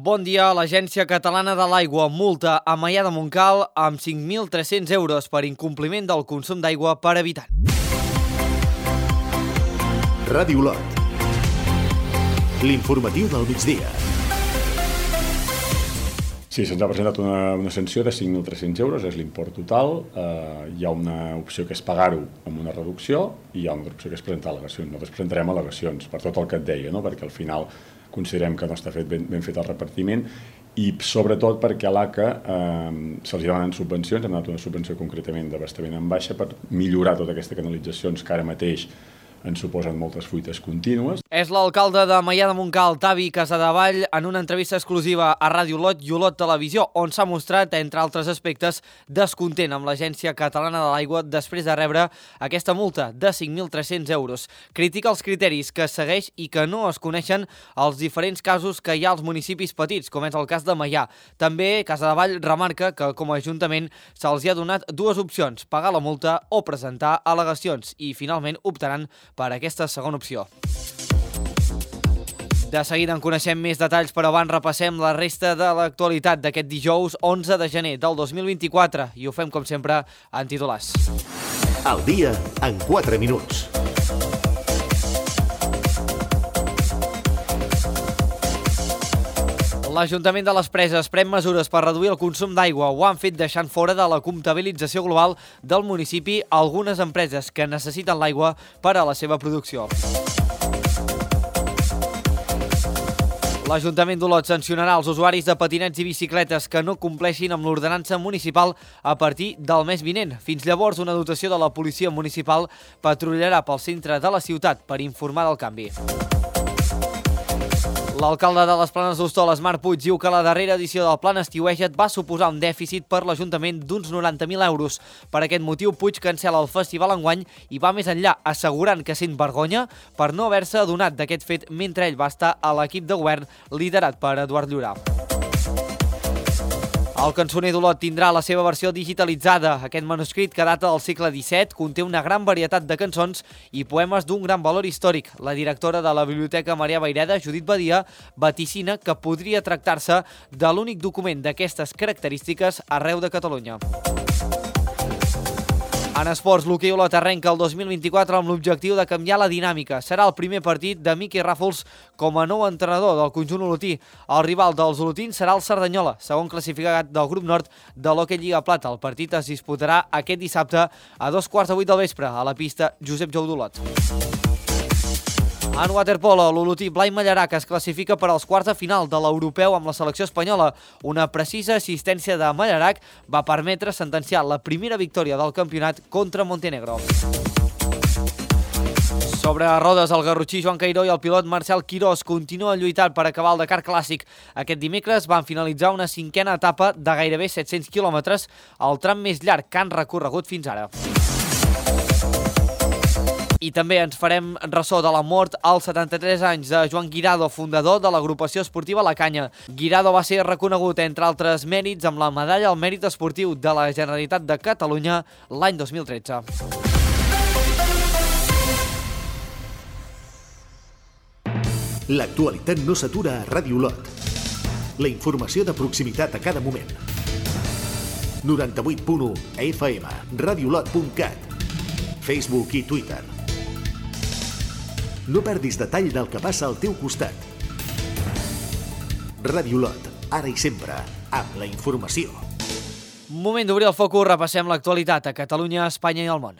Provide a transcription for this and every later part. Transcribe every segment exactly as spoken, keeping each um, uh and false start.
Bon dia. L'Agència Catalana de l'Aigua multa a Maià de Montcal amb cinc mil tres-cents euros per incompliment del consum d'aigua per habitant. Ràdio Lot. L'informatiu del migdia. Sí, se'ns ha presentat una, una sanció de cinc mil tres-cents euros, és l'import total. Eh, hi ha una opció que és pagar-ho amb una reducció i hi ha una altra opció que és presentar al·legacions. Nosaltres presentarem al·legacions per tot el que et deia, no? Perquè al final considerem que no està fet ben, ben fet el repartiment i sobretot perquè a l'A C A eh, se'ls demanen subvencions, hem donat una subvenció concretament d'abastament en baixa per millorar tota aquesta canalitzacions que ara mateix ens suposen moltes fuites contínues. És l'alcalde de Maià de Montcal, Tavi Casadevall, en una entrevista exclusiva a Ràdio Lot i Olot Televisió, on s'ha mostrat, entre altres aspectes, descontent amb l'Agència Catalana de l'Aigua després de rebre aquesta multa de cinc mil tres-cents euros. Critica els criteris que segueix i que no es coneixen els diferents casos que hi ha als municipis petits, com és el cas de Maià. També Casadevall remarca que, com a Ajuntament, se'ls hi ha donat dues opcions, pagar la multa o presentar al·legacions, i finalment optaran per aquesta segona opció. De seguida en coneixem més detalls, però abans repassem la resta de l'actualitat d'aquest dijous onze de gener del dos mil vint-i-quatre i ho fem, com sempre, en titulars. Al dia en quatre minuts. L'Ajuntament de les Preses pren mesures per reduir el consum d'aigua. Ho han fet deixant fora de la comptabilització global del municipi algunes empreses que necessiten l'aigua per a la seva producció. L'Ajuntament d'Olot sancionarà els usuaris de patinets i bicicletes que no compleixin amb l'ordenança municipal a partir del mes vinent. Fins llavors, una dotació de la policia municipal patrullarà pel centre de la ciutat per informar del canvi. L'alcalde de les Planes d'Hostoles, Marc Puig, diu que la darrera edició del Plan Estiueja't va suposar un dèficit per l'Ajuntament d'uns noranta mil euros. Per aquest motiu, Puig cancela el festival enguany i va més enllà, assegurant que sent vergonya per no haver-se adonat d'aquest fet mentre ell va estar a l'equip de govern liderat per Eduard Llorà. El cançoner d'Olot tindrà la seva versió digitalitzada. Aquest manuscrit, que data del segle disset, conté una gran varietat de cançons i poemes d'un gran valor històric. La directora de la Biblioteca Marià Vayreda, Judit Badia, vaticina que podria tractar-se de l'únic document d'aquestes característiques arreu de Catalunya. En esports, l'hoquei Olot arrenca el dos mil vint-i-quatre amb l'objectiu de canviar la dinàmica. Serà el primer partit de Miqui Ràfols com a nou entrenador del conjunt olotí. El rival dels olotins serà el Cerdanyola, segon classificat del grup nord de l'Hockey Lliga Plata. El partit es disputarà aquest dissabte a dos quarts de vuit del vespre a la pista Josep Jou d'Olot. En waterpolo, l'olotí Blai Mallarac es classifica per als quarts de final de l'europeu amb la selecció espanyola. Una precisa assistència de Mallarac va permetre sentenciar la primera victòria del campionat contra Montenegro. Sobre rodes, el garrotxí Joan Cairó i el pilot Marcel Quirós continuen lluitant per acabar el Dakar Clàssic. Aquest dimecres van finalitzar una cinquena etapa de gairebé set-cents quilòmetres, el tram més llarg que han recorregut fins ara. I també ens farem ressò de la mort als setanta-tres anys de Joan Guirado, fundador de l'agrupació esportiva La Canya. Guirado va ser reconegut, entre altres mèrits, amb la medalla al mèrit esportiu de la Generalitat de Catalunya l'any dos mil tretze. L'actualitat no s'atura a Ràdio Lot. La informació de proximitat a cada moment. noranta-vuit punt u F M, radiolot punt cat, Facebook i Twitter. No perdis detall del que passa al teu costat. Ràdio Lot, ara i sempre, amb la informació. Moment d'obrir el focus, repassem l'actualitat a Catalunya, Espanya i el món.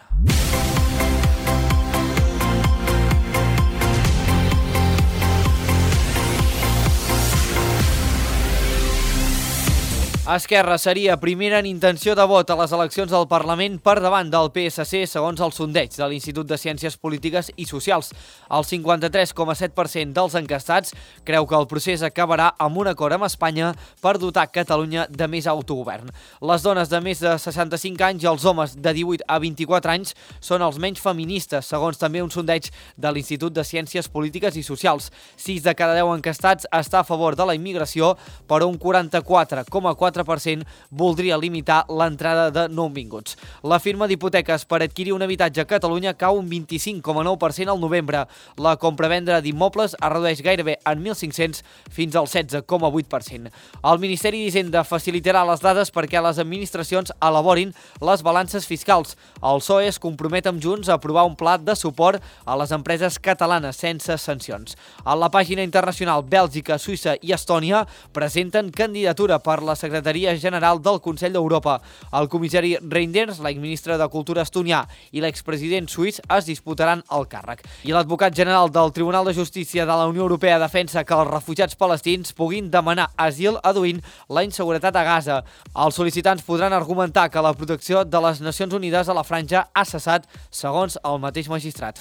Esquerra seria primera en intenció de vot a les eleccions del Parlament per davant del P S C segons el sondeig de l'Institut de Ciències Polítiques i Socials. El cinquanta-tres coma set per cent dels encastats creu que el procés acabarà amb un acord amb Espanya per dotar Catalunya de més autogovern. Les dones de més de seixanta-cinc anys i els homes de divuit a vint-i-quatre anys són els menys feministes, segons també un sondeig de l'Institut de Ciències Polítiques i Socials. sis de cada deu encastats està a favor de la immigració, però un quaranta-quatre coma quatre quatre per cent voldria limitar l'entrada de nouvinguts. La firma d'hipoteques per adquirir un habitatge a Catalunya cau un vint-i-cinc coma nou per cent al novembre. La compra-venda d'immobles es redueix gairebé en mil cinc-cents fins al setze coma vuit per cent. El Ministeri d'Hisenda facilitarà les dades perquè les administracions elaborin les balances fiscals. El P S O E es compromet amb Junts a aprovar un pla de suport a les empreses catalanes sense sancions. A la pàgina internacional, Bèlgica, Suïssa i Estònia presenten candidatura per la Secretaria General del Consell d'Europa. El comissari Reinders, l'exministre de Cultura estonià i l'expresident suís es disputaran el càrrec. I l'advocat general del Tribunal de Justícia de la Unió Europea defensa que els refugiats palestins puguin demanar asil aduint la inseguretat a Gaza. Els sol·licitants podran argumentar que la protecció de les Nacions Unides a la franja ha cessat, segons el mateix magistrat.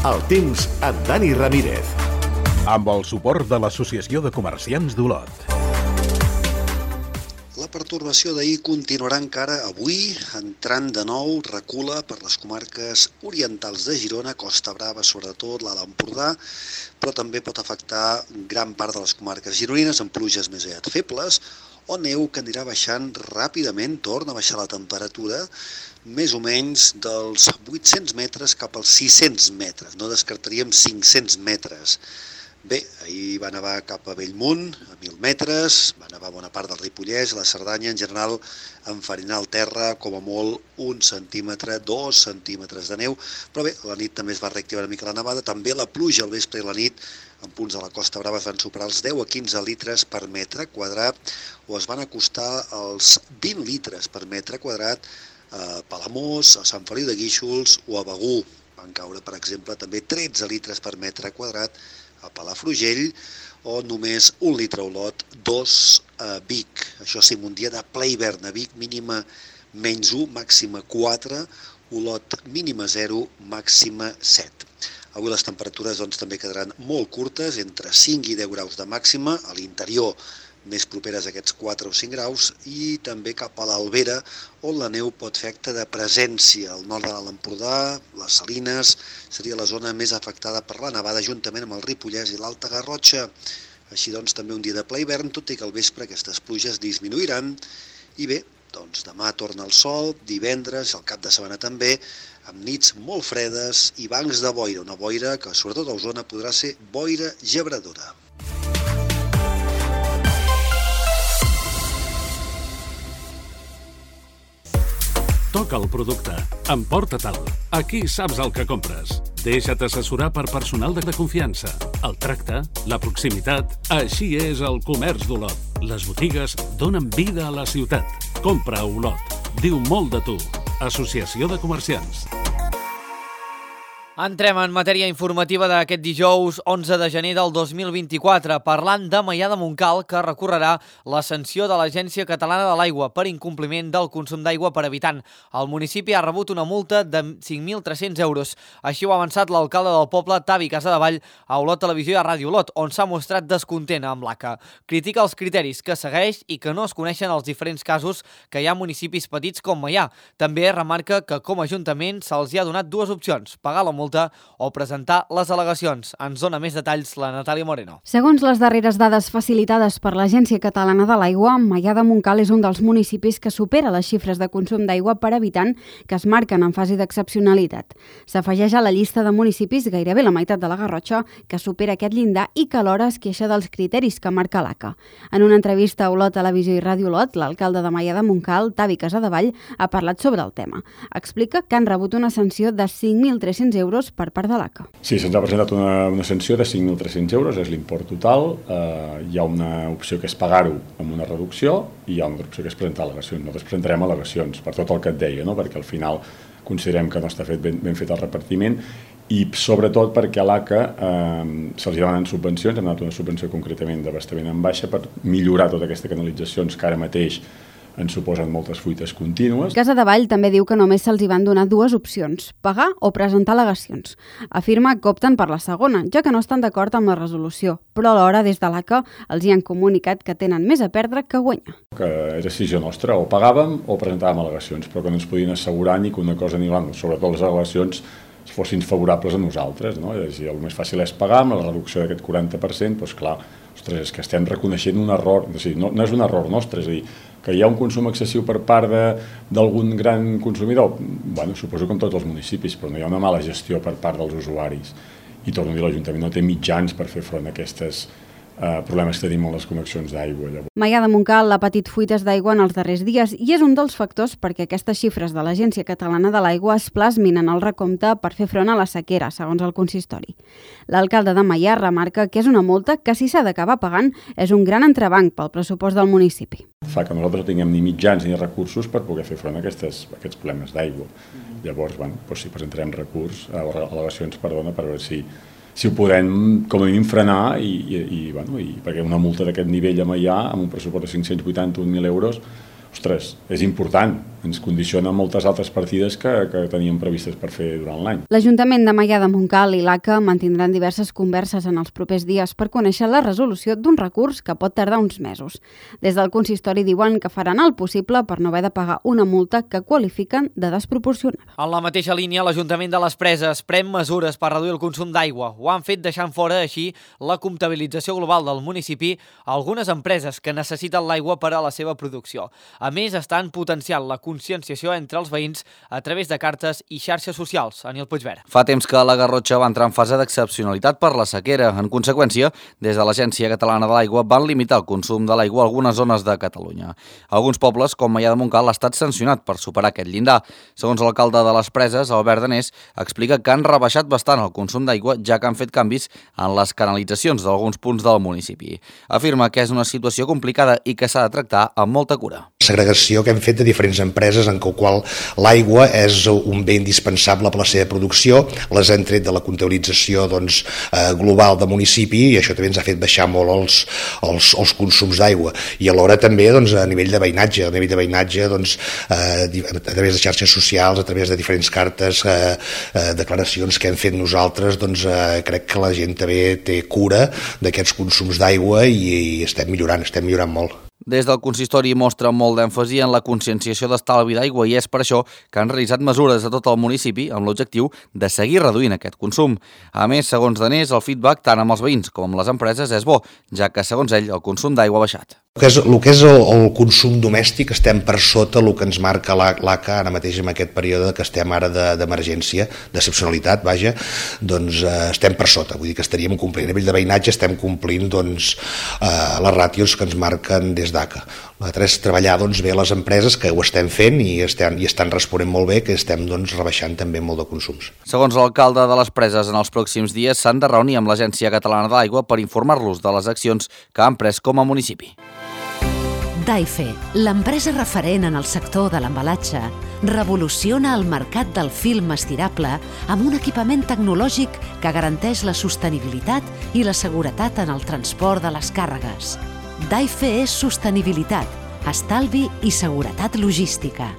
El temps amb Dani Ramírez. Amb el suport de l'Associació de Comerciants d'Olot. La pertorbació d'ahir continuarà encara avui, entrant de nou, recula per les comarques orientals de Girona, Costa Brava, sobretot l'Alt Empordà, però també pot afectar gran part de les comarques gironines amb pluges més aviat febles, o neu que anirà baixant ràpidament, torna a baixar la temperatura, més o menys dels vuit-cents metres cap als sis-cents metres, no descartaríem cinc-cents metres. Bé, ahir va nevar cap a Bellmunt, a mil metres, va nevar bona part del Ripollès, la Cerdanya, en general, enfarinar el terra, com a molt, un centímetre, dos centímetres de neu, però bé, la nit també es va reactivar una mica la nevada, també la pluja al vespre i la nit, en punts de la Costa Brava es van superar els deu a quinze litres per metre quadrat, o es van acostar als vint litres per metre quadrat a Palamós, a Sant Feliu de Guíxols o a Begur. Van caure, per exemple, també tretze litres per metre quadrat a Palafrugell, o només un litre a Olot, dos a Vic. Això sí, un dia de ple hivern a Vic, mínima menys u, màxima quatre, Olot mínima zero, màxima set. Avui les temperatures doncs, també quedaran molt curtes, entre cinc i deu graus de màxima, a l'interior més properes a aquests quatre o cinc graus, i també cap a l'Albera, on la neu pot fer acte de presència. Al nord de l'Alt Empordà, les Salines, seria la zona més afectada per la nevada, juntament amb el Ripollès i l'Alta Garrotxa. Així doncs, també un dia de ple hivern, tot i que al vespre aquestes pluges disminuiran. I bé, doncs demà torna el sol, divendres, el cap de setmana també, amb nits molt fredes i bancs de boira, una boira que sobretot a Osona podrà ser boira gebradora. Toca el producte. Emporta-te'l. Aquí saps el que compres. Deixa't assessorar per personal de confiança. El tracte, la proximitat, així és el comerç d'Olot. Les botigues donen vida a la ciutat. Compra a Olot. Diu molt de tu. Associació de Comerciants. Entrem en matèria informativa d'aquest dijous onze de gener del dos mil vint-i-quatre, parlant de Maià de Montcal, que recorrerà la sanció de l'Agència Catalana de l'Aigua per incompliment del consum d'aigua per habitant. El municipi ha rebut una multa de cinc mil tres-cents euros. Així ho ha avançat l'alcalde del poble, Tavi Casadevall, a Olot Televisió i a Ràdio Olot, on s'ha mostrat descontent amb l'A C A. Critica els criteris que segueix i que no es coneixen els diferents casos que hi ha municipis petits com Maià. També remarca que com a ajuntament se'ls hi ha donat dues opcions, pagar la multa o presentar les al·legacions. Ens dona més detalls la Natàlia Moreno. Segons les darreres dades facilitades per l'Agència Catalana de l'Aigua, Maià de Montcal és un dels municipis que supera les xifres de consum d'aigua per habitant que es marquen en fase d'excepcionalitat. S'afegeix a la llista de municipis gairebé la meitat de la Garrotxa que supera aquest llindar i que alhora es queixa dels criteris que marca l'A C A. En una entrevista a Olot Televisió i Ràdio Olot, l'alcalde de Maià de Montcal, Tavi Casadevall, ha parlat sobre el tema. Explica que han rebut una sanció de cinc mil tres-cents euros per part de l'A C A. Sí, se'ns ha presentat una, una sanció de cinc mil tres-cents euros, és l'import total. Eh, hi ha una opció que és pagar-ho amb una reducció i hi ha una altra opció que és presentar al·legacions. Nosaltres presentarem al·legacions per tot el que et deia, no? Perquè al final considerem que no està fet ben, ben fet el repartiment i sobretot perquè a l'A C A eh, se'ls demanen subvencions, hem donat una subvenció concretament d'abastament en baixa per millorar totes aquestes canalitzacions que ara mateix ens suposen moltes fuites contínues. Casadevall també diu que només se'ls hi van donar dues opcions, pagar o presentar al·legacions. Afirma que opten per la segona, ja que no estan d'acord amb la resolució, però alhora des de l'A C A els hi han comunicat que tenen més a perdre que a guanyar. Que és decisió nostra, o pagàvem o presentàvem al·legacions, però que no ens podien assegurar ni que una cosa ni l'altra, sobretot les al·legacions, fossin favorables a nosaltres, no? És a dir, el més fàcil és pagar amb la reducció d'aquest quaranta per cent, doncs clar, ostres, és que estem reconeixent un error, és a dir, no, no és un error nostre, és a dir, que hi ha un consum excessiu per part d'algun gran consumidor, bueno, suposo que en tots els municipis, però no hi ha una mala gestió per part dels usuaris. I torno a dir, l'Ajuntament no té mitjans per fer front a aquestes Uh, problemes que tenim amb les connexions d'aigua. Maià de Montcal ha patit fuites d'aigua en els darrers dies i és un dels factors perquè aquestes xifres de l'Agència Catalana de l'Aigua es plasmin en el recompte per fer front a la sequera, segons el consistori. L'alcalde de Maià remarca que és una multa que, si s'ha d'acabar pagant, és un gran entrebanc pel pressupost del municipi. Fa que nosaltres no tinguem ni mitjans ni recursos per poder fer front a aquestes, a aquests problemes d'aigua. Mm-hmm. Llavors, bueno, doncs sí, presentarem recurs, al·legacions, perdona, per veure si si ho podem, com a mínim, frenar i, i, i, bueno, i perquè una multa d'aquest nivell a Maià, amb un pressupost de cinc-cents vuitanta-un mil euros, ostres, és important, ens condiciona moltes altres partides que, que teníem previstes per fer durant l'any. L'Ajuntament de Maià de Montcal i l'A C A mantindran diverses converses en els propers dies per conèixer la resolució d'un recurs que pot tardar uns mesos. Des del consistori diuen que faran el possible per no haver de pagar una multa que qualifiquen de desproporcionada. En la mateixa línia, l'Ajuntament de les Preses pren mesures per reduir el consum d'aigua. Ho han fet deixant fora, així, la comptabilització global del municipi a algunes empreses que necessiten l'aigua per a la seva producció. A més, estan potenciant la conscienciació entre els veïns a través de cartes i xarxes socials. Anil Puigverd. Fa temps que la Garrotxa va entrar en fase d'excepcionalitat per la sequera. En conseqüència, des de l'Agència Catalana de l'Aigua van limitar el consum de l'aigua a algunes zones de Catalunya. Alguns pobles, com Maià de Montcal, ha estat sancionat per superar aquest llindar. Segons l'alcalde de les Preses, Albert Danés, explica que han rebaixat bastant el consum d'aigua, ja que han fet canvis en les canalitzacions d'alguns punts del municipi. Afirma que és una situació complicada i que s'ha de tractar amb molta cura. Segregació que hem fet de diferents empreses en què qual l'aigua és un bé indispensable per la seva producció, les han tret de la comptabilització doncs, eh, global del municipi i això també ens ha fet baixar molt els, els, els consums d'aigua i alhora també doncs, a nivell de veïnatge, a nivell de veïnatge doncs, eh, a través de xarxes socials, a través de diferents cartes, eh, eh, declaracions que hem fet nosaltres, doncs eh, crec que la gent també té cura d'aquests consums d'aigua i, i estem millorant, estem millorant molt. Des del consistori mostra molt d'èmfasi en la conscienciació d'estalvi d'aigua i és per això que han realitzat mesures a tot el municipi amb l'objectiu de seguir reduint aquest consum. A més, segons Danés, el feedback tant amb els veïns com amb les empreses és bo, ja que, segons ell, el consum d'aigua ha baixat. El que és, el, que és el, el consum domèstic estem per sota el que ens marca l'A C A ara mateix en aquest període que estem ara d'emergència, de, d'excepcionalitat, vaja, doncs eh, estem per sota, vull dir que estaríem complint. A nivell de veïnatge estem complint doncs, eh, les ràtios que ens marquen des d'A C A. L'altre és treballar doncs, bé les empreses que ho estem fent i estan, i estan responent molt bé, que estem doncs, rebaixant també molt de consums. Segons l'alcalde de les Preses, en els pròxims dies s'han de reunir amb l'Agència Catalana de l'Aigua per informar-los de les accions que han pres com a municipi. Daife, l'empresa referent en el sector de l'embalatge, revoluciona el mercat del film estirable amb un equipament tecnològic que garanteix la sostenibilitat i la seguretat en el transport de les càrregues. Daife és sostenibilitat, estalvi i seguretat logística.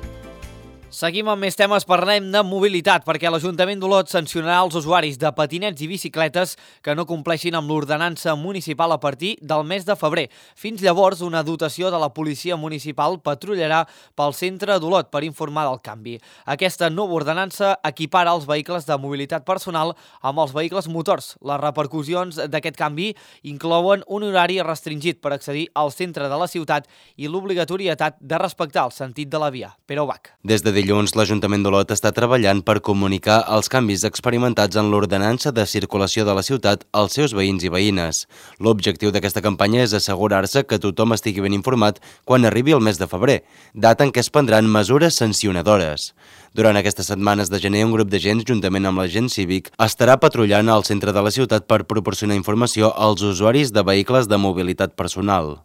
Seguim amb més temes, parlem de mobilitat, perquè l'Ajuntament d'Olot sancionarà els usuaris de patinets i bicicletes que no compleixin amb l'ordenança municipal a partir del mes de febrer. Fins llavors, una dotació de la policia municipal patrullarà pel centre d'Olot per informar del canvi. Aquesta nova ordenança equipara els vehicles de mobilitat personal amb els vehicles motors. Les repercussions d'aquest canvi inclouen un horari restringit per accedir al centre de la ciutat i l'obligatorietat de respectar el sentit de la via. Pere Ubach. Des de dilluns, l'Ajuntament d'Olot està treballant per comunicar els canvis experimentats en l'ordenança de circulació de la ciutat als seus veïns i veïnes. L'objectiu d'aquesta campanya és assegurar-se que tothom estigui ben informat quan arribi el mes de febrer, data en què es prendran mesures sancionadores. Durant aquestes setmanes de gener, un grup d'agents, juntament amb l'agent cívic, estarà patrullant al centre de la ciutat per proporcionar informació als usuaris de vehicles de mobilitat personal.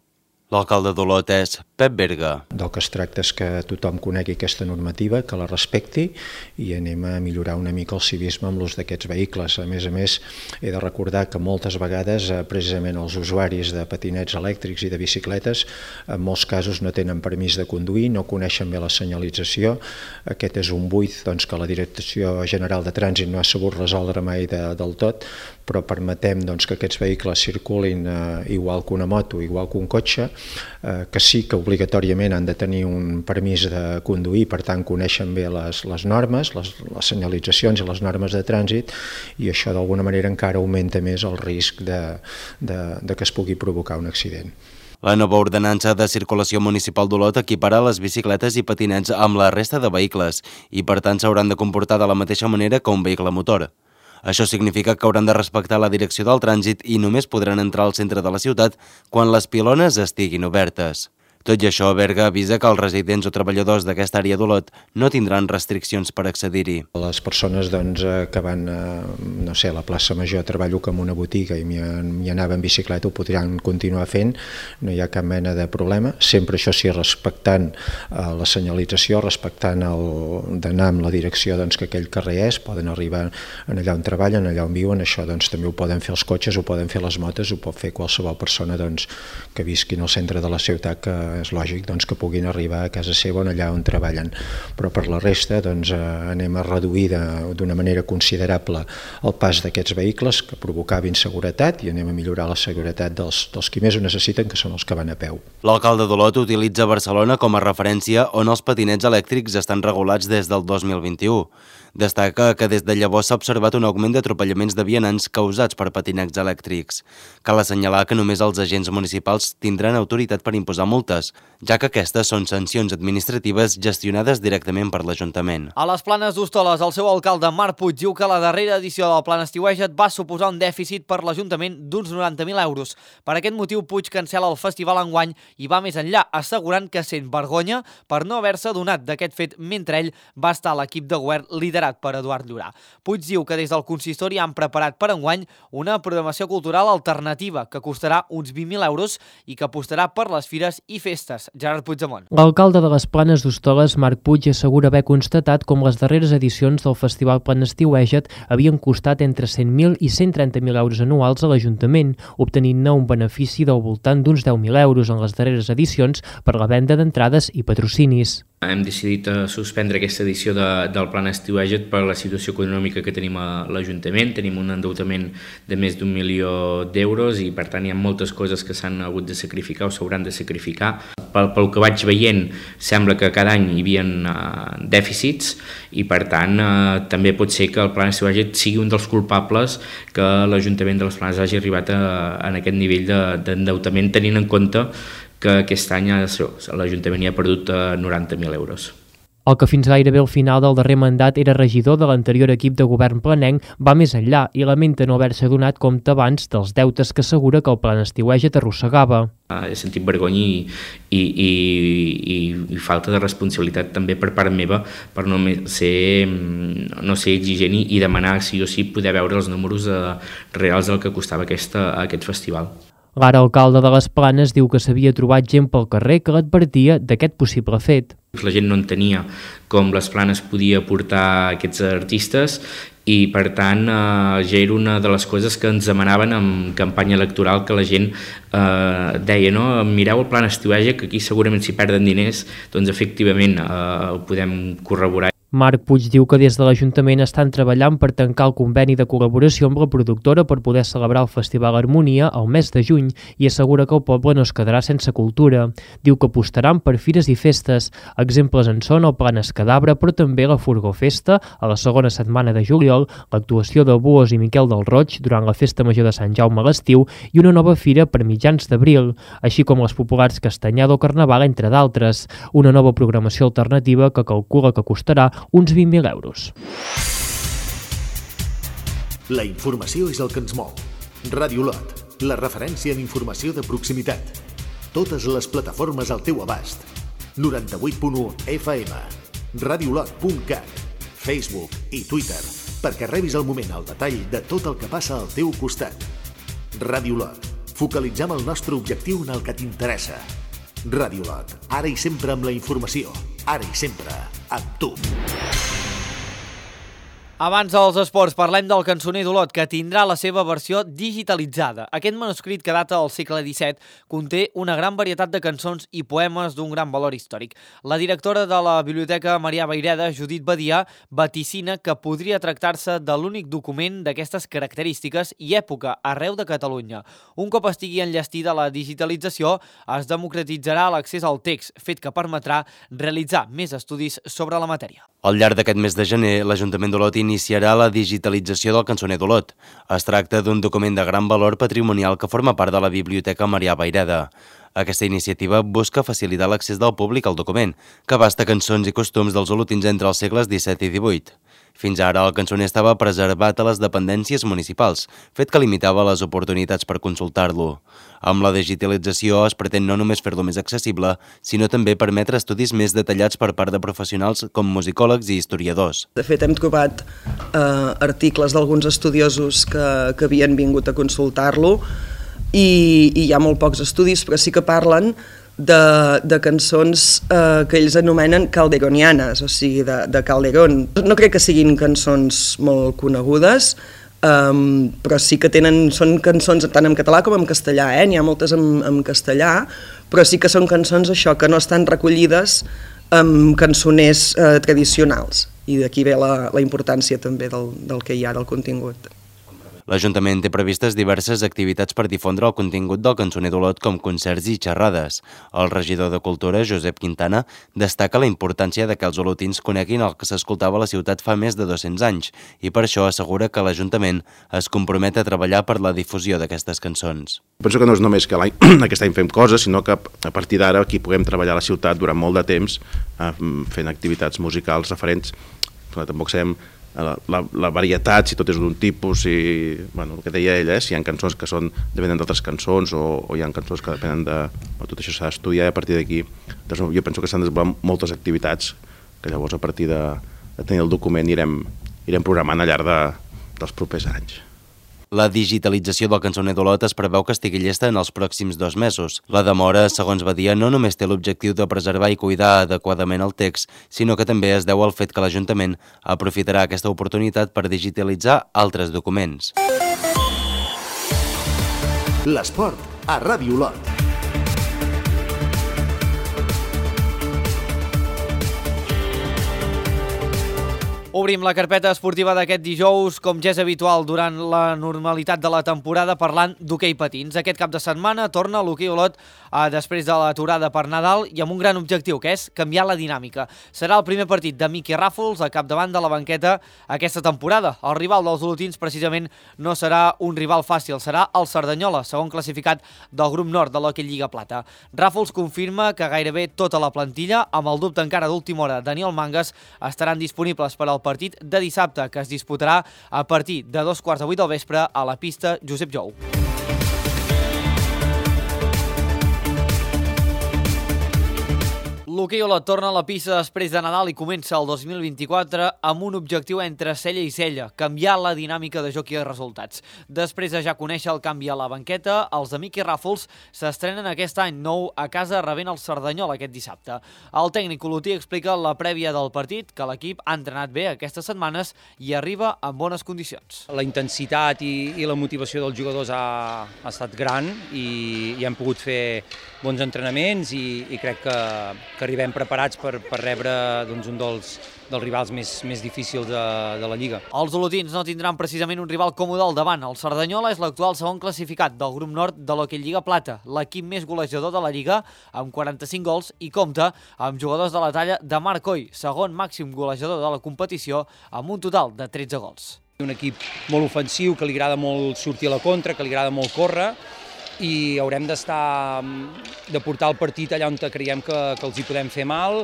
L'alcalde d'Olot és Pep Berga. Del que es tracta és que tothom conegui aquesta normativa, que la respecti i anem a millorar una mica el civisme amb l'ús d'aquests vehicles. A més a més, he de recordar que moltes vegades precisament els usuaris de patinets elèctrics i de bicicletes en molts casos no tenen permís de conduir, no coneixen bé la senyalització. Aquest és un buit doncs, que la Direcció General de Trànsit no ha sabut resoldre mai de, del tot, però permetem doncs, que aquests vehicles circulin eh, igual que una moto, igual que un cotxe, eh, que sí que obligatòriament han de tenir un permís de conduir, per tant coneixen bé les, les normes, les, les senyalitzacions i les normes de trànsit, i això d'alguna manera encara augmenta més el risc de, de, de que es pugui provocar un accident. La nova ordenança de circulació municipal d'Olot equiparà les bicicletes i patinets amb la resta de vehicles i per tant s'hauran de comportar de la mateixa manera que un vehicle motor. Això significa que hauran de respectar la direcció del trànsit i només podran entrar al centre de la ciutat quan les pilones estiguin obertes. Tot i això, Berga avisa que els residents o treballadors d'aquesta àrea d'Olot no tindran restriccions per accedir-hi. Les persones doncs, que van a, no sé, a la plaça Major, treballo com una botiga i m'hi anava en bicicleta, ho podran continuar fent, no hi ha cap mena de problema, sempre això sí respectant eh, la senyalització, respectant d'anar amb la direcció doncs, que aquell carrer és, poden arribar en allà on treballen, allà on viuen, això doncs, també ho poden fer els cotxes, ho poden fer les motos, ho pot fer qualsevol persona doncs, que visqui al centre de la ciutat, que és lògic doncs, que puguin arribar a casa seva on allà on treballen, però per la resta doncs, eh, anem a reduir d'una manera considerable el pas d'aquests vehicles que provocava inseguretat i anem a millorar la seguretat dels, dels qui més ho necessiten, que són els que van a peu. L'alcalde d'Olot utilitza Barcelona com a referència on els patinets elèctrics estan regulats des del dos mil vint-i-u. Destaca que des de llavors s'ha observat un augment d'atropellaments de vianants causats per patinets elèctrics. Cal assenyalar que només els agents municipals tindran autoritat per imposar multes, ja que aquestes són sancions administratives gestionades directament per l'Ajuntament. A les Planes d'Hostoles, el seu alcalde Marc Puig diu que la darrera edició del Plan Estiueja't va suposar un dèficit per l'Ajuntament d'uns noranta mil euros. Per aquest motiu, Puig cancela el festival enguany i va més enllà, assegurant que sent vergonya per no haver-se donat d'aquest fet mentre ell va estar a l'equip de govern liderat per Eduard Llorà. Puig diu que des del consistori han preparat per enguany una programació cultural alternativa que costarà uns vint mil euros i que apostarà per les fires i festes. Gerard Puigdemont. L'alcalde de les Planes d'Hostoles, Marc Puig, assegura haver constatat com les darreres edicions del Festival Plan Estiueja't havien costat entre cent mil i cent trenta mil euros anuals a l'Ajuntament, obtenint-ne un benefici del voltant d'uns deu mil euros en les darreres edicions per la venda d'entrades i patrocinis. Hem decidit suspendre aquesta edició de, del Plan Estiueja't per la situació econòmica que tenim a l'Ajuntament. Tenim un endeutament de més d'un milió d'euros i per tant hi ha moltes coses que s'han hagut de sacrificar o s'hauran de sacrificar. Pel, pel que vaig veient sembla que cada any hi havia uh, dèficits i per tant uh, també pot ser que el Plan Estiueja't sigui un dels culpables que l'Ajuntament de les Planes hagi arribat a, a aquest nivell d'endeutament, tenint en compte que aquest any l'Ajuntament hi ha perdut noranta mil euros. El que fins gairebé al final del darrer mandat era regidor de l'anterior equip de govern planenc va més enllà i lamenta no haver-se donat compte abans dels deutes que assegura que el Plan Estiueja't arrossegava. He sentit vergonya i, i, i, i falta de responsabilitat també per part meva per no ser, no ser exigent i demanar sí o sí poder veure els números reals del que costava aquesta, aquest festival. L'ara alcalde de les Planes diu que s'havia trobat gent pel carrer que l'advertia d'aquest possible fet. La gent no entenia com les Planes podia portar aquests artistes i per tant eh, ja era una de les coses que ens demanaven en campanya electoral, que la gent eh, deia no, mireu el Plan Estiueja't que aquí segurament s'hi perden diners, doncs efectivament eh, ho podem corroborar. Marc Puig diu que des de l'Ajuntament estan treballant per tancar el conveni de col·laboració amb la productora per poder celebrar el Festival Harmonia al mes de juny i assegura que el poble no es quedarà sense cultura. Diu que apostaran per fires i festes. Exemples en són el Plan Escadabra, però també la Furgó Festa a la segona setmana de juliol, l'actuació de Buos i Miquel del Roig durant la Festa Major de Sant Jaume a l'estiu i una nova fira per mitjans d'abril, així com les populars Castanyada o Carnaval, entre d'altres. Una nova programació alternativa que calcula que costarà uns vint mil euros. La informació és el que ens mou. Ràdio Olot, la referència en informació de proximitat. Totes les plataformes al teu abast. noranta-vuit punt u F M, radiolot punt cat, Facebook i Twitter, perquè rebis al moment el detall de tot el que passa al teu costat. Ràdio Olot, focalitzem el nostre objectiu en el que t'interessa. Radiolot, ara i sempre amb la informació. Ara i sempre, amb tu. Abans dels esports, parlem del cançoner d'Olot, que tindrà la seva versió digitalitzada. Aquest manuscrit, que data del segle disset, conté una gran varietat de cançons i poemes d'un gran valor històric. La directora de la Biblioteca Marià Vayreda, Judit Badia, vaticina que podria tractar-se de l'únic document d'aquestes característiques i època arreu de Catalunya. Un cop estigui enllestida la digitalització, es democratitzarà l'accés al text, fet que permetrà realitzar més estudis sobre la matèria. Al llarg d'aquest mes de gener, l'Ajuntament d'Olot iniciarà la digitalització del cançoner d'Olot. Es tracta d'un document de gran valor patrimonial que forma part de la Biblioteca Marià Vayreda. Aquesta iniciativa busca facilitar l'accés del públic al document, que abasta cançons i costums dels olotins entre els segles disset i divuit. Fins ara, el cançoner estava preservat a les dependències municipals, fet que limitava les oportunitats per consultar-lo. Amb la digitalització es pretén no només fer-lo més accessible, sinó també permetre estudis més detallats per part de professionals com musicòlegs i historiadors. De fet, hem trobat eh, articles d'alguns estudiosos que, que havien vingut a consultar-lo i, i hi ha molt pocs estudis, però sí que parlen de, de cançons eh, que ells anomenen calderonianes, o sigui, de, de Calderón. No crec que siguin cançons molt conegudes, um, però sí que tenen, són cançons tant en català com en castellà, eh? N'hi ha moltes en, en castellà, però sí que són cançons això que no estan recollides amb cançoners eh, tradicionals, i d'aquí ve la, la importància també del, del que hi ha del contingut. L'Ajuntament té previstes diverses activitats per difondre el contingut del cançoner d'Olot, com concerts i xerrades. El regidor de Cultura, Josep Quintana, destaca la importància de que els olotins coneguin el que s'escoltava a la ciutat fa més de dos-cents anys i per això assegura que l'Ajuntament es compromet a treballar per la difusió d'aquestes cançons. Penso que no és només que l'any, aquest any fem coses, sinó que a partir d'ara aquí puguem treballar a la ciutat durant molt de temps eh, fent activitats musicals referents. Però tampoc sabem La, la, la varietat, si tot és d'un tipus, i bueno, el que deia ella, eh, si hi ha cançons que són depenen d'altres cançons o, o hi ha cançons que depenen de... Tot això s'ha d'estudiar i a partir d'aquí doncs, jo penso que s'han desenvolupat moltes activitats que llavors a partir de, de tenir el document irem, irem programant al llarg de, dels propers anys. La digitalització del cançoner d'Olot es preveu que estigui llesta en els pròxims dos mesos. La demora, segons Badia, no només té l'objectiu de preservar i cuidar adequadament el text, sinó que també es deu al fet que l'Ajuntament aprofitarà aquesta oportunitat per digitalitzar altres documents. L'esport a Ràdio Olot. Obrim la carpeta esportiva d'aquest dijous, com ja és habitual durant la normalitat de la temporada, parlant d'hoquei patins. Aquest cap de setmana torna l'hoquei Olot eh, després de l'aturada per Nadal i amb un gran objectiu, que és canviar la dinàmica. Serà el primer partit de Miqui Ràfols a capdavant de la banqueta aquesta temporada. El rival dels olotins precisament no serà un rival fàcil, serà el Cerdanyola, segon classificat del grup nord de l'Hockey Lliga Plata. Ràfols confirma que gairebé tota la plantilla, amb el dubte encara d'última hora Daniel Mangas, estaran disponibles per al partit de dissabte, que es disputarà a partir de dos quarts de vuit del vespre a la pista Josep Jou. L'hoquei Olot torna a la pista després de Nadal i comença el dos mil vint-i-quatre amb un objectiu entre cella i cella, canviar la dinàmica de joc i de resultats. Després de ja conèixer el canvi a la banqueta, els de Miqui Ràfols s'estrenen aquest any nou a casa rebent el Cerdanyola aquest dissabte. El tècnic olotí explica la prèvia del partit que l'equip ha entrenat bé aquestes setmanes i arriba en bones condicions. La intensitat i, i la motivació dels jugadors ha, ha estat gran i, i hem pogut fer bons entrenaments i, i crec que, que arribem preparats per, per rebre doncs, un dels, dels rivals més, més difícils de, de la Lliga. Els olotins no tindran precisament un rival còmode al davant. El Cerdanyola és l'actual segon classificat del grup nord de l'Hockey Lliga Plata, l'equip més golejador de la Lliga, amb quaranta-cinc gols, i compta amb jugadors de la talla de Marc Coll, segon màxim golejador de la competició, amb un total de tretze gols. Un equip molt ofensiu, que li agrada molt sortir a la contra, que li agrada molt córrer, i haurem d'estar, de portar el partit allà on creiem que, que els hi podem fer mal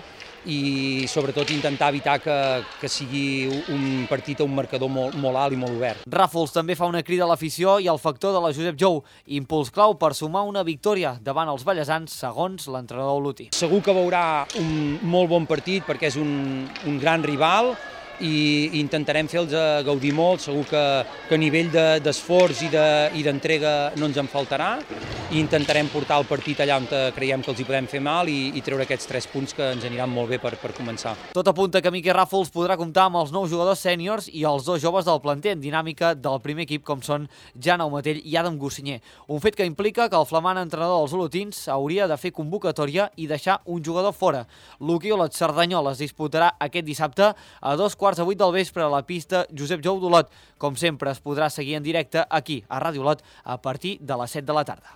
i sobretot intentar evitar que, que sigui un partit a un marcador molt, molt alt i molt obert. Ràfols també fa una crida a l'afició i al factor de la Josep Jou, impuls clau per sumar una victòria davant els ballesans, segons l'entrenador olotí. Segur que veurà un molt bon partit perquè és un, un gran rival i intentarem fer-los gaudir molt, segur que, que a nivell d'esforç i d'entrega de, no ens en faltarà, i intentarem portar el partit allà on creiem que els hi podem fer mal i, i treure aquests tres punts que ens aniran molt bé per, per començar. Tot apunta que Miqui Ràfols podrà comptar amb els nous jugadors sèniors i els dos joves del planter en dinàmica del primer equip, com són Jan Aumatell i Adam Gossinyer. Un fet que implica que el flamant entrenador dels olotins hauria de fer convocatòria i deixar un jugador fora. L'Hoquei Olot Cerdanyola es disputarà aquest dissabte a dos quarts de vuit del vespre a la pista Josep Jou d'Olot. Com sempre, es podrà seguir en directe aquí, a Ràdio Olot, a partir de les set de la tarda.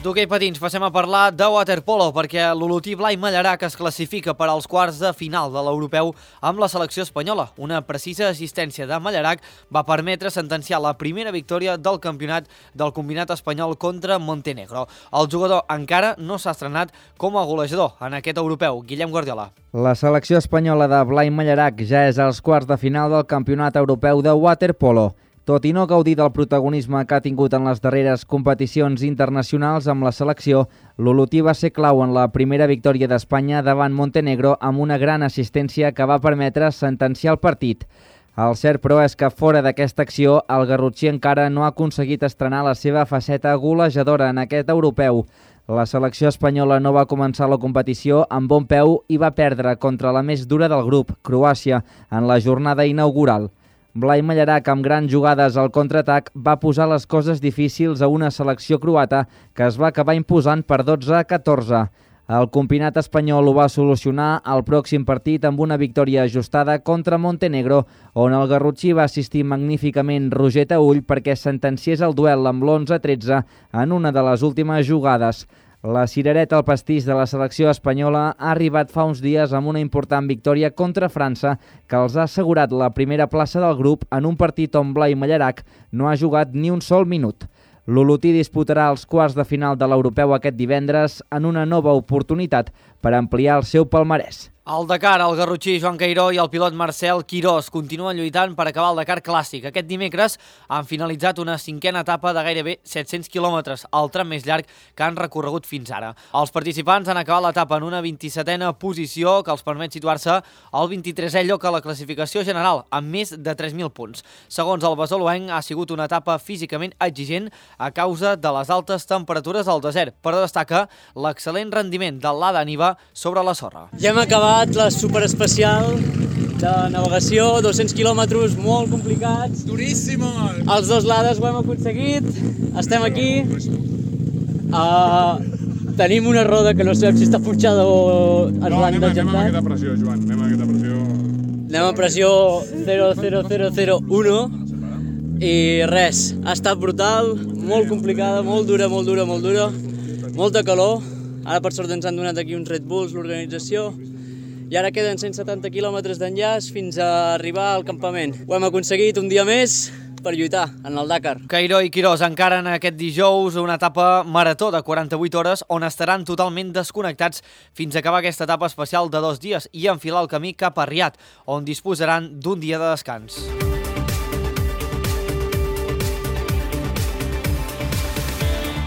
D'hoquei patins passem a parlar de waterpolo perquè l'olotí Blai Mallarac es classifica per als quarts de final de l'europeu amb la selecció espanyola. Una precisa assistència de Mallarac va permetre sentenciar la primera victòria del campionat del combinat espanyol contra Montenegro. El jugador encara no s'ha estrenat com a golejador en aquest europeu. Guillem Guardiola. La selecció espanyola de Blai Mallarac ja és als quarts de final del campionat europeu de waterpolo. Tot i no gaudir del protagonisme que ha tingut en les darreres competicions internacionals amb la selecció, l'olotí va ser clau en la primera victòria d'Espanya davant Montenegro amb una gran assistència que va permetre sentenciar el partit. El cert, però, és que fora d'aquesta acció, el garrotxí encara no ha aconseguit estrenar la seva faceta golejadora en aquest europeu. La selecció espanyola no va començar la competició amb bon peu i va perdre contra la més dura del grup, Croàcia, en la jornada inaugural. Blai Mallarac, amb grans jugades al contraatac, va posar les coses difícils a una selecció croata que es va acabar imposant per dotze a catorze. El combinat espanyol ho va solucionar al pròxim partit amb una victòria ajustada contra Montenegro, on el garrotxí va assistir magníficament Roger Taüll perquè sentenciés el duel amb l'onze a tretze en una de les últimes jugades. La cirereta al pastís de la selecció espanyola ha arribat fa uns dies amb una important victòria contra França que els ha assegurat la primera plaça del grup en un partit on Blai Mallarac no ha jugat ni un sol minut. L'olotí disputarà els quarts de final de l'europeu aquest divendres en una nova oportunitat per ampliar el seu palmarès. Al Dakar, el garrotxí Joan Cairó i el pilot Marcel Quirós continuen lluitant per acabar el Dakar Clàssic. Aquest dimecres han finalitzat una cinquena etapa de gairebé set-cents quilòmetres, el tram més llarg que han recorregut fins ara. Els participants han acabat l'etapa en una vint-i-setena posició que els permet situar-se al vint-i-tresè lloc a la classificació general, amb més de tres mil punts. Segons el basoluenc, ha sigut una etapa físicament exigent a causa de les altes temperatures al desert, però destaca l'excel·lent rendiment de l'Ada Niva sobre la sorra. Ja hem acabat la superespecial de navegació, dos-cents quilòmetres molt complicats. Duríssimos! Els dos lades ho hem aconseguit, estem aquí. Uh, tenim una roda que no sabem si està punxada o ens no, l'han degentat. No, anem a aquesta pressió, Joan, anem a aquesta pressió. Anem a pressió zero zero zero zero u i res, ha estat brutal, molt complicada, molt dura, molt dura, molt dura, molta calor. Ara per sort ens han donat aquí uns Red Bulls, l'organització, i ara queden cent setanta quilòmetres d'enllaç fins a arribar al campament. Ho hem aconseguit un dia més per lluitar en el Dakar. Cairó i Quirós encaren aquest dijous una etapa marató de quaranta-vuit hores on estaran totalment desconnectats fins a acabar aquesta etapa especial de dos dies i enfilar el camí cap a Riad, on disposaran d'un dia de descans.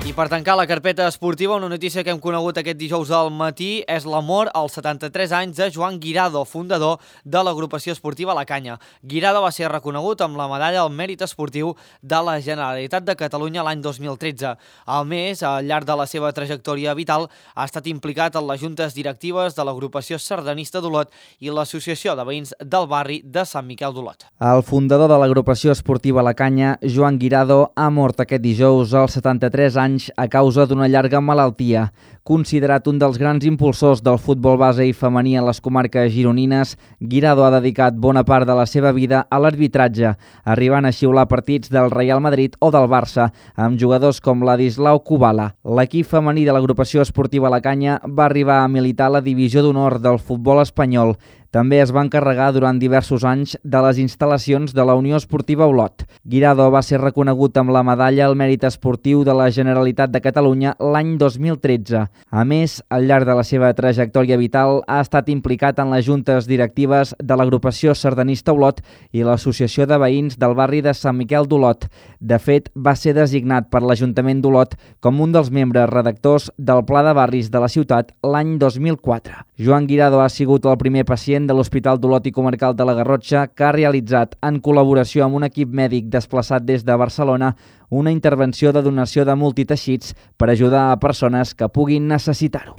I per tancar la carpeta esportiva, una notícia que hem conegut aquest dijous al matí és la mort als setanta-tres anys de Joan Guirado, fundador de l'agrupació esportiva La Canya. Guirado va ser reconegut amb la medalla al mèrit esportiu de la Generalitat de Catalunya l'any dos mil tretze. A més, al llarg de la seva trajectòria vital, ha estat implicat en les juntes directives de l'agrupació sardanista d'Olot i l'associació de veïns del barri de Sant Miquel d'Olot. El fundador de l'agrupació esportiva La Canya, Joan Guirado, ha mort aquest dijous als setanta-tres anys a causa d'una llarga malaltia. Considerat un dels grans impulsors del futbol base i femení a les comarques gironines, Guirado ha dedicat bona part de la seva vida a l'arbitratge, arribant a xiular partits del Real Madrid o del Barça, amb jugadors com Ladislau Kubala. L'equip femení de l'agrupació esportiva La Canya va arribar a militar a la divisió d'honor del futbol espanyol. També es va encarregar durant diversos anys de les instal·lacions de la Unió Esportiva Olot. Guirado va ser reconegut amb la medalla al mèrit esportiu de la Generalitat de Catalunya l'any dos mil tretze. A més, al llarg de la seva trajectòria vital ha estat implicat en les juntes directives de l'agrupació sardanista Olot i l'Associació de Veïns del barri de Sant Miquel d'Olot. De fet, va ser designat per l'Ajuntament d'Olot com un dels membres redactors del Pla de Barris de la ciutat l'any dos mil quatre. Joan Guirado ha sigut el primer pacient de l'Hospital d'Olot i Comarcal de la Garrotxa que ha realitzat, en col·laboració amb un equip mèdic desplaçat des de Barcelona, una intervenció de donació de multiteixits per ajudar a persones que puguin necessitar-ho.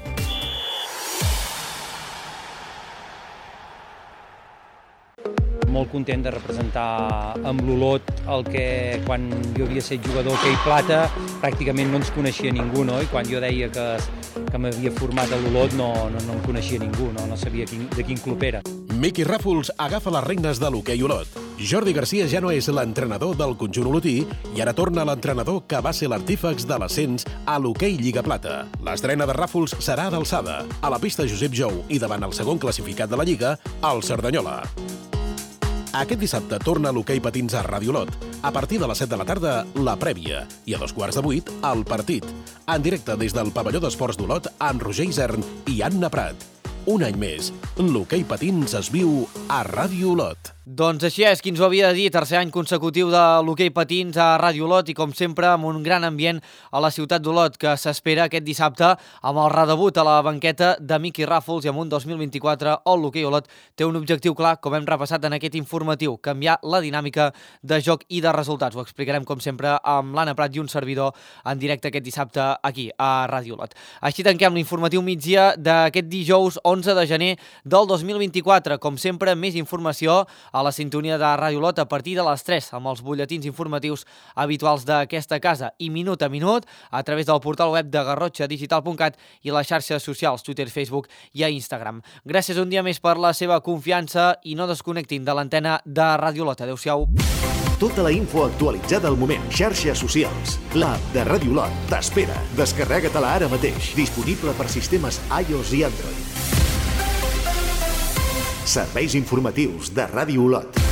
Molt content de representar amb l'Olot el que quan jo havia estat jugador hoquei plata pràcticament no ens coneixia ningú, no? I quan jo deia que, que m'havia format a l'Olot no, no, no em coneixia ningú, no, no sabia quin, de quin club era. Miqui Ràfols agafa les regnes de l'hoquei Olot. Jordi Garcia ja no és l'entrenador del conjunt olotí i ara torna l'entrenador que va ser l'artífex de l'ascens a l'hoquei Lliga Plata. L'estrena de Ràfols serà d'alçada, a la pista Josep Jou i davant el segon classificat de la Lliga, el Cerdanyola. Aquest dissabte torna l'hoquei patins a Ràdio Olot. A partir de les set de la tarda, la prèvia. I a dos quarts de vuit, el partit. En directe des del pavelló d'esports d'Olot amb Roger Isern i Anna Prat. Un any més, l'hoquei patins es viu a Ràdio Olot. Doncs així és, qui ens ho havia de dir, tercer any consecutiu de l'hoquei patins a Ràdio Olot i com sempre amb un gran ambient a la ciutat d'Olot que s'espera aquest dissabte amb el redebut a la banqueta de Miqui Ràfols i amb un dos mil vint-i-quatre on l'hoquei Olot té un objectiu clar, com hem repassat en aquest informatiu, canviar la dinàmica de joc i de resultats. Ho explicarem com sempre amb l'Anna Prat i un servidor en directe aquest dissabte aquí a Ràdio Olot. Així tanquem l'informatiu migdia d'aquest dijous onze de gener del dos mil vint-i-quatre. Com sempre, més informació a la sintonia de Ràdio Olot a partir de les tres amb els butlletins informatius habituals d'aquesta casa i minut a minut a través del portal web de garrotxa digital punt cat i les xarxes socials Twitter, Facebook i a Instagram. Gràcies un dia més per la seva confiança i no desconnectin de l'antena de Ràdio Olot. Adéu-siau. Tota la info actualitzada al moment. Xarxes socials. L'app de Ràdio Olot t'espera. Descarrega-te-la ara mateix. Disponible per sistemes iOS i Android. Serveis informatius de Ràdio Olot.